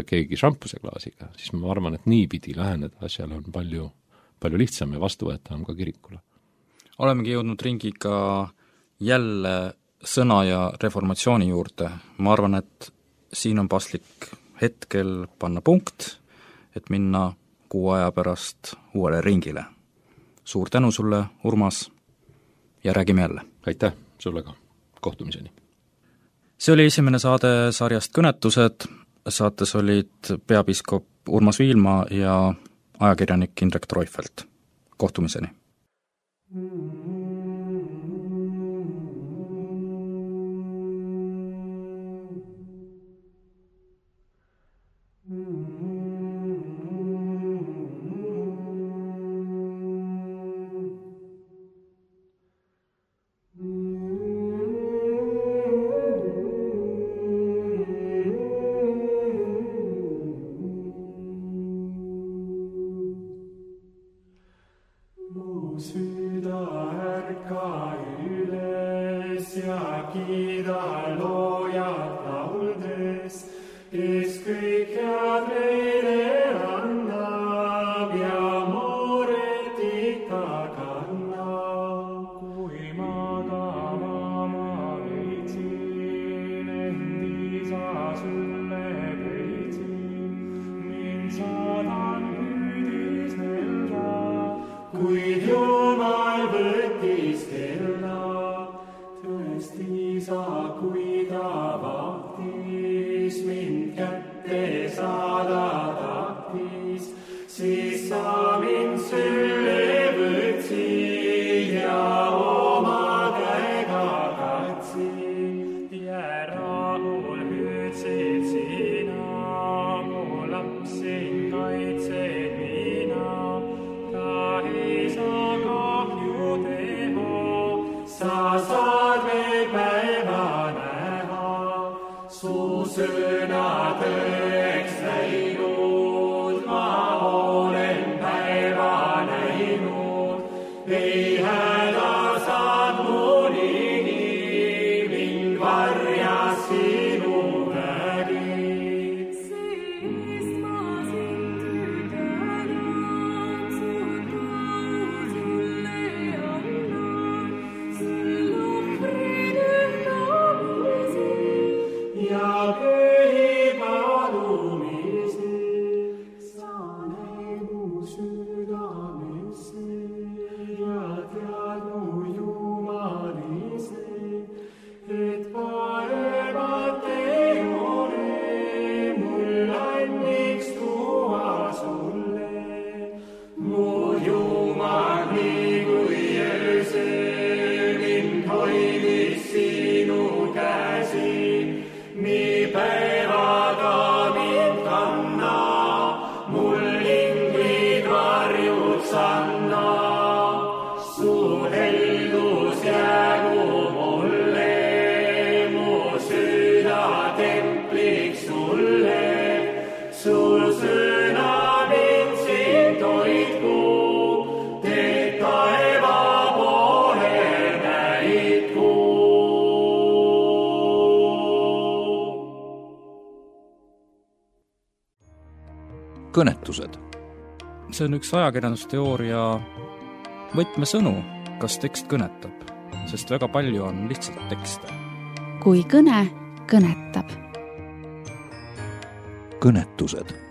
keegi šampuseklaasiga, siis ma arvan, et niipidi läheneda asjale on palju lihtsam ja vastuvõetavam ka kirikule. Olemegi jõudnud ringiga jälle sõna ja reformatsiooni juurde. Ma arvan, et siin on paslik hetkel panna punkt, et minna 6 aja pärast uuele ringile. Suur tänu sulle, Urmas, ja räägime jälle. Aitäh sulle ka. Kohtumiseni. See oli esimene saade sarjast Kõnetused. Saates olid peapiiskop Urmas Viilma ja ajakirjanik Indrek Treufelt. Kohtumiseni. Siis ma siin kõnetused. see on üks ajakirjandusteooria võtmesõnu, kas tekst kõnetab, sest väga palju on lihtsalt tekste. kui kõne kõnetab. kõnetused